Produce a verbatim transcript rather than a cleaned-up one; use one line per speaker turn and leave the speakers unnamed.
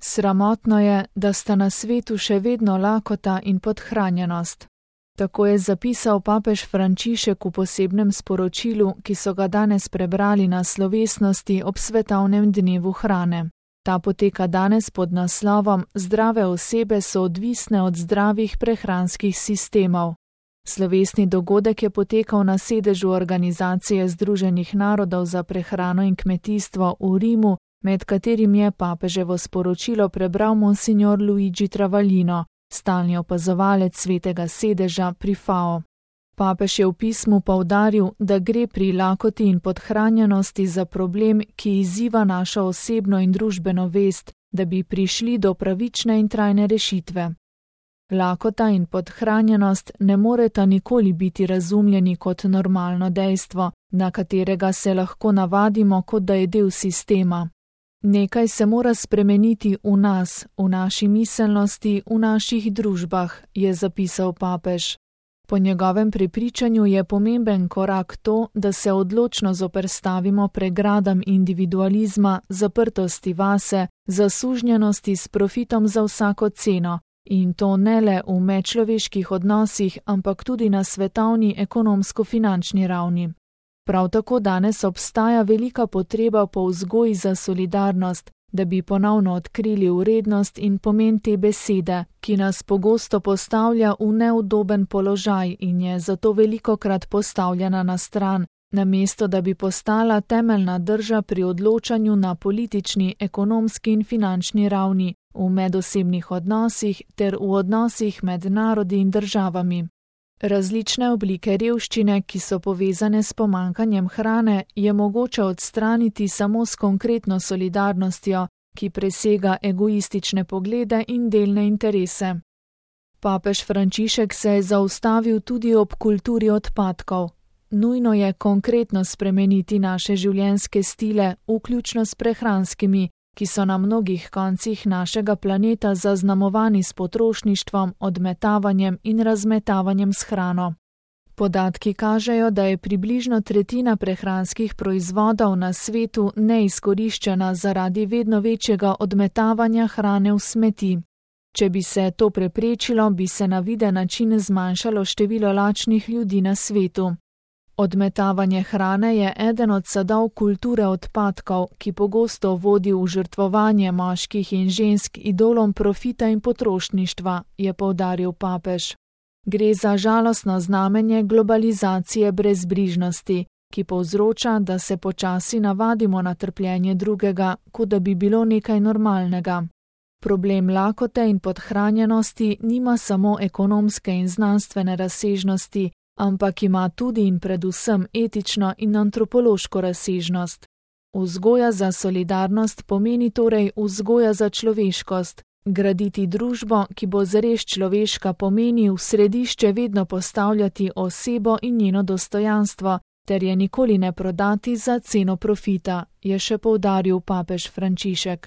Sramotno je, da sta na svetu še vedno lakota in podhranjenost. Tako je zapisal papež Frančišek v posebnem sporočilu, ki so ga danes prebrali na slovesnosti ob svetovnem dnevu hrane. Ta poteka danes pod naslovom Zdrave osebe so odvisne od zdravih prehranskih sistemov. Slovesni dogodek je potekal na sedežu Organizacije združenih narodov za prehrano in kmetijstvo v Rimu, med katerim je papeževo sporočilo prebral monsignor Luigi Travaglino, stalni opazovalec svetega sedeža pri F A O. Papež je v pismu poudaril, da gre pri lakoti in podhranjenosti za problem, ki izziva našo osebno in družbeno vest, da bi prišli do pravične in trajne rešitve. Lakota in podhranjenost ne moreta nikoli biti razumljeni kot normalno dejstvo, na katerega se lahko navadimo, kot da je del sistema. Nekaj se mora spremeniti v nas, v naši miselnosti, v naših družbah, je zapisal papež. Po njegovem prepričanju je pomemben korak to, da se odločno zoperstavimo pregradam individualizma, zaprtosti vase, zasužnjenosti s profitom za vsako ceno, in to ne le v medčloveških odnosih, ampak tudi na svetovni ekonomsko-finančni ravni. Prav tako danes obstaja velika potreba po vzgoji za solidarnost, da bi ponovno odkrili vrednost in pomen te besede, ki nas pogosto postavlja v neudoben položaj in je zato velikokrat postavljena na stran, namesto da bi postala temeljna drža pri odločanju na politični, ekonomski in finančni ravni, v medosebnih odnosih ter v odnosih med narodi in državami. Različne oblike revščine, ki so povezane s pomanjkanjem hrane, je mogoče odstraniti samo s konkretno solidarnostjo, ki presega egoistične poglede in delne interese. Papež Frančišek se je zaustavil tudi ob kulturi odpadkov. Nujno je konkretno spremeniti naše življenjske stile, vključno s prehranskimi, ki so na mnogih koncih našega planeta zaznamovani s potrošništvom, odmetavanjem in razmetavanjem s hrano. Podatki kažejo, da je približno tretjina prehranskih proizvodov na svetu neizkoriščena zaradi vedno večjega odmetavanja hrane v smeti. Če bi se to preprečilo, bi se na viden način zmanjšalo število lačnih ljudi na svetu. Odmetavanje hrane je eden od sadov kulture odpadkov, ki pogosto vodi v žrtvovanje moških in žensk idolom profita in potrošništva, je poudaril papež. Gre za žalostno znamenje globalizacije brezbrižnosti, ki povzroča, da se počasi navadimo na trpljenje drugega, kot da bi bilo nekaj normalnega. Problem lakote in podhranjenosti nima samo ekonomske in znanstvene razsežnosti, ampak ima tudi in predvsem etično in antropološko razsežnost. Vzgoja za solidarnost pomeni torej vzgoja za človeškost. Graditi družbo, ki bo zares človeška, pomeni v središče vedno postavljati osebo in njeno dostojanstvo, ter je nikoli ne prodati za ceno profita, je še poudaril papež Frančišek.